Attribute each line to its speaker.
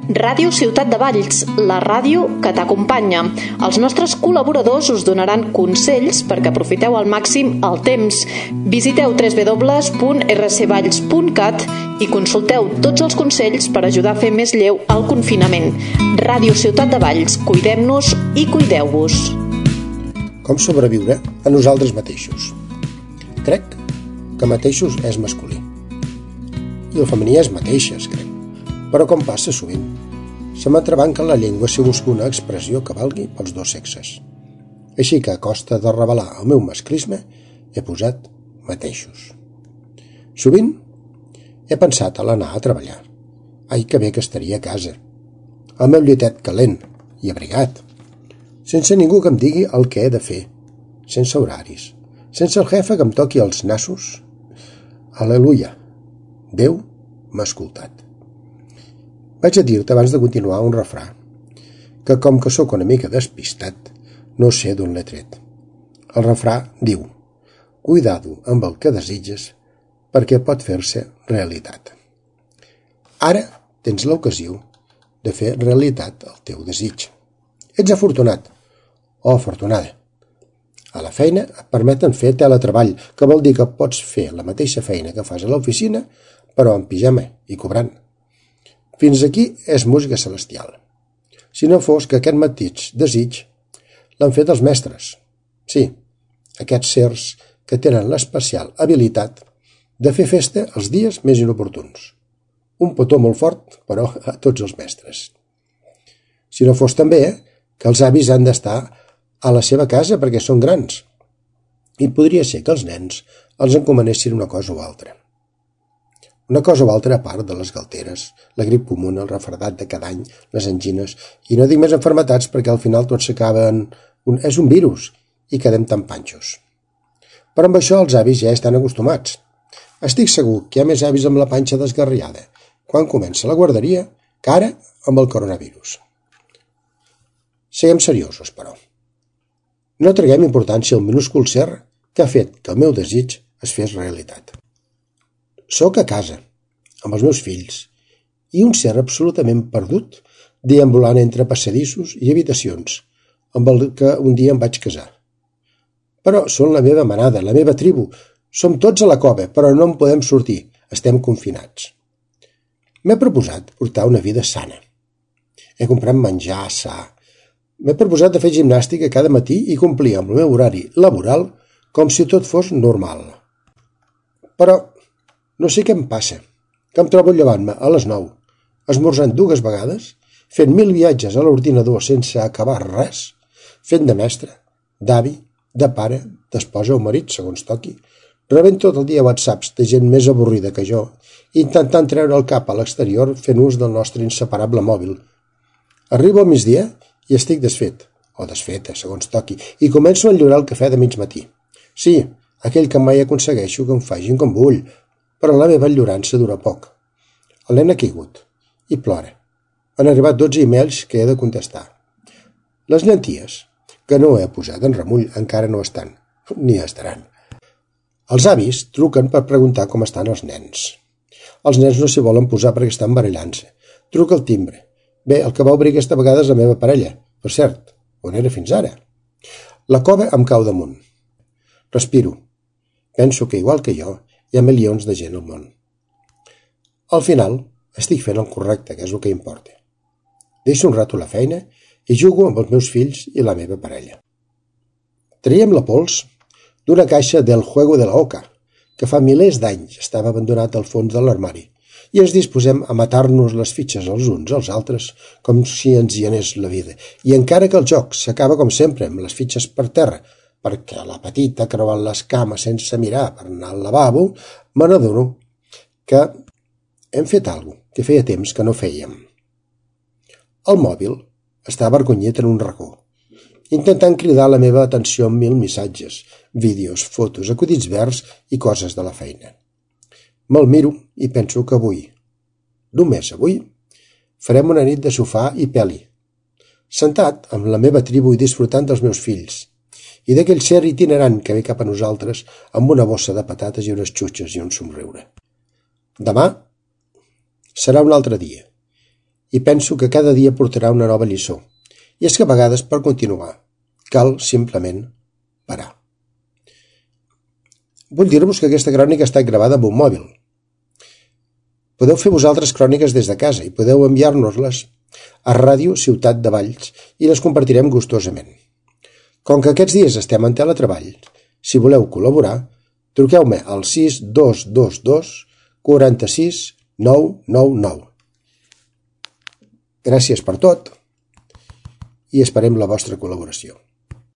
Speaker 1: Ràdio Ciutat de Valls, la ràdio que t'acompanya. Els nostres col·laboradors us donaran consells perquè aprofiteu al màxim el temps. Visiteu www.rcvalls.cat i consulteu tots els consells per ajudar a fer més lleu el confinament. Ràdio Ciutat de Valls, cuidem-nos i cuideu-vos.
Speaker 2: Com sobreviure a nosaltres mateixos? Crec que mateixos és masculí. I el femení és mateixes, crec. Però com passa sovint, se m'entrebanca la llengua si busco una expressió que valgui pels dos sexes. Així que a costa de revelar el meu masclisme he posat mateixos. Sovint he pensat a l'anar a treballar. Ai, que bé que estaria a casa. El meu llitet calent i abrigat, sense ningú que em digui el que he de fer, sense horaris, sense el jefe que em toqui els nassos. Al·leluia! Déu m'ha escoltat. Vaig a dir-te abans de continuar un refrà, que com que sóc una mica despistat, no sé d'on l'he tret. El refrà diu: cuidado amb el que desitges, perquè pot fer-se realitat. Ara tens l'ocasió de fer realitat el teu desig. Ets afortunat o afortunada. A la feina et permeten fer teletreball, que vol dir que pots fer la mateixa feina que fas a l'oficina, però en pijama i cobrant. Fins aquí és música celestial. Si no fos que aquest mateix desig l'han fet els mestres. Sí, aquests sers que tenen l'especial habilitat de fer festa els dies més inoportuns. Un petó molt fort, però a tots els mestres. Si no fos també que els avis han d'estar a la seva casa perquè són grans. I podria ser que els nens els encomanessin una cosa o altra. Una cosa o altra a part de les galteres, la grip comuna, el refredat de cada any, les angines, i no dic més enfermetats perquè al final tot s'acaba en... és un virus, i quedem tan panxos. Però amb això els avis ja estan acostumats. Estic segur que hi ha més avis amb la panxa desgarriada quan comença la guarderia que ara amb el coronavirus. Siguem seriosos, però. No traguem importància al minúscul ser que ha fet que el meu desig es fes realitat. Soc a casa, amb els meus fills, i un ser absolutament perdut deambulant entre passadissos i habitacions, amb el que un dia em vaig casar. Però són la meva manada, la meva tribu. Som tots a la cova, però no en podem sortir. Estem confinats. M'he proposat portar una vida sana. He comprat menjar sa. M'he proposat de fer gimnàstica cada matí i complir amb el meu horari laboral com si tot fos normal. Però no sé què em passa, que em trobo llevant-me a les 9, esmorzant 2 vegades, fent 1000 viatges a l'ordinador sense acabar res, fent de mestre, d'avi, de pare, d'esposa o marit, segons toqui, rebent tot el dia whatsapps de gent més avorrida que jo, intentant treure el cap a l'exterior fent ús del nostre inseparable mòbil. Arribo al migdia i estic desfet, o desfeta, segons toqui, i començo a enllorar el cafè de mig matí. Sí, aquell que mai aconsegueixo que em facin com vull, però la meva enllorança dura poc. El nen ha caigut i plora. Han arribat 12 emails que he de contestar. Les llenties, que no he posat en remull, encara no estan, ni estaran. Els avis truquen per preguntar com estan els nens. Els nens no s'hi volen posar perquè estan barallant-se. Truca al timbre. Bé, el que va obrir aquesta vegada és la meva parella. Per cert, on era fins ara? La cova em cau damunt. Respiro. Penso que, igual que jo, hi ha milions de gent al món. Al final, estic fent el correcte, que és el que importa. Deixo un rato la feina i jugo amb els meus fills i la meva parella. Traiem la pols d'una caixa del Juego de la Oca, que fa milers d'anys estava abandonat al fons de l'armari, i ens disposem a matar-nos les fitxes els uns als altres com si ens hi anés la vida. I encara que el joc s'acaba com sempre amb les fitxes per terra, perquè la petita creuant les cames sense mirar per anar al lavabo, me n'adono que hem fet alguna cosa que feia temps que no fèiem. El mòbil està avergonyit en un racó, intentant cridar la meva atenció amb 1000 missatges, vídeos, fotos, acudits verds i coses de la feina. Me'l miro i penso que avui, només avui, farem una nit de sofà i peli, sentat amb la meva tribu i disfrutant dels meus fills, i d'aquell ser itinerant que ve cap a nosaltres amb una bossa de patates i unes xutxes i un somriure. Demà serà un altre dia. I penso que cada dia portarà una nova lliçó. I és que a vegades, per continuar, cal simplement parar. Vull dir-vos que aquesta crònica ha estat gravada amb un mòbil. Podeu fer vosaltres cròniques des de casa i podeu enviar-nos-les a Ràdio Ciutat de Valls i les compartirem gustosament. Com que aquests dies estem en teletreball, si voleu col·laborar, truqueu-me al 6222 46 999. Gràcies per tot i esperem la vostra col·laboració.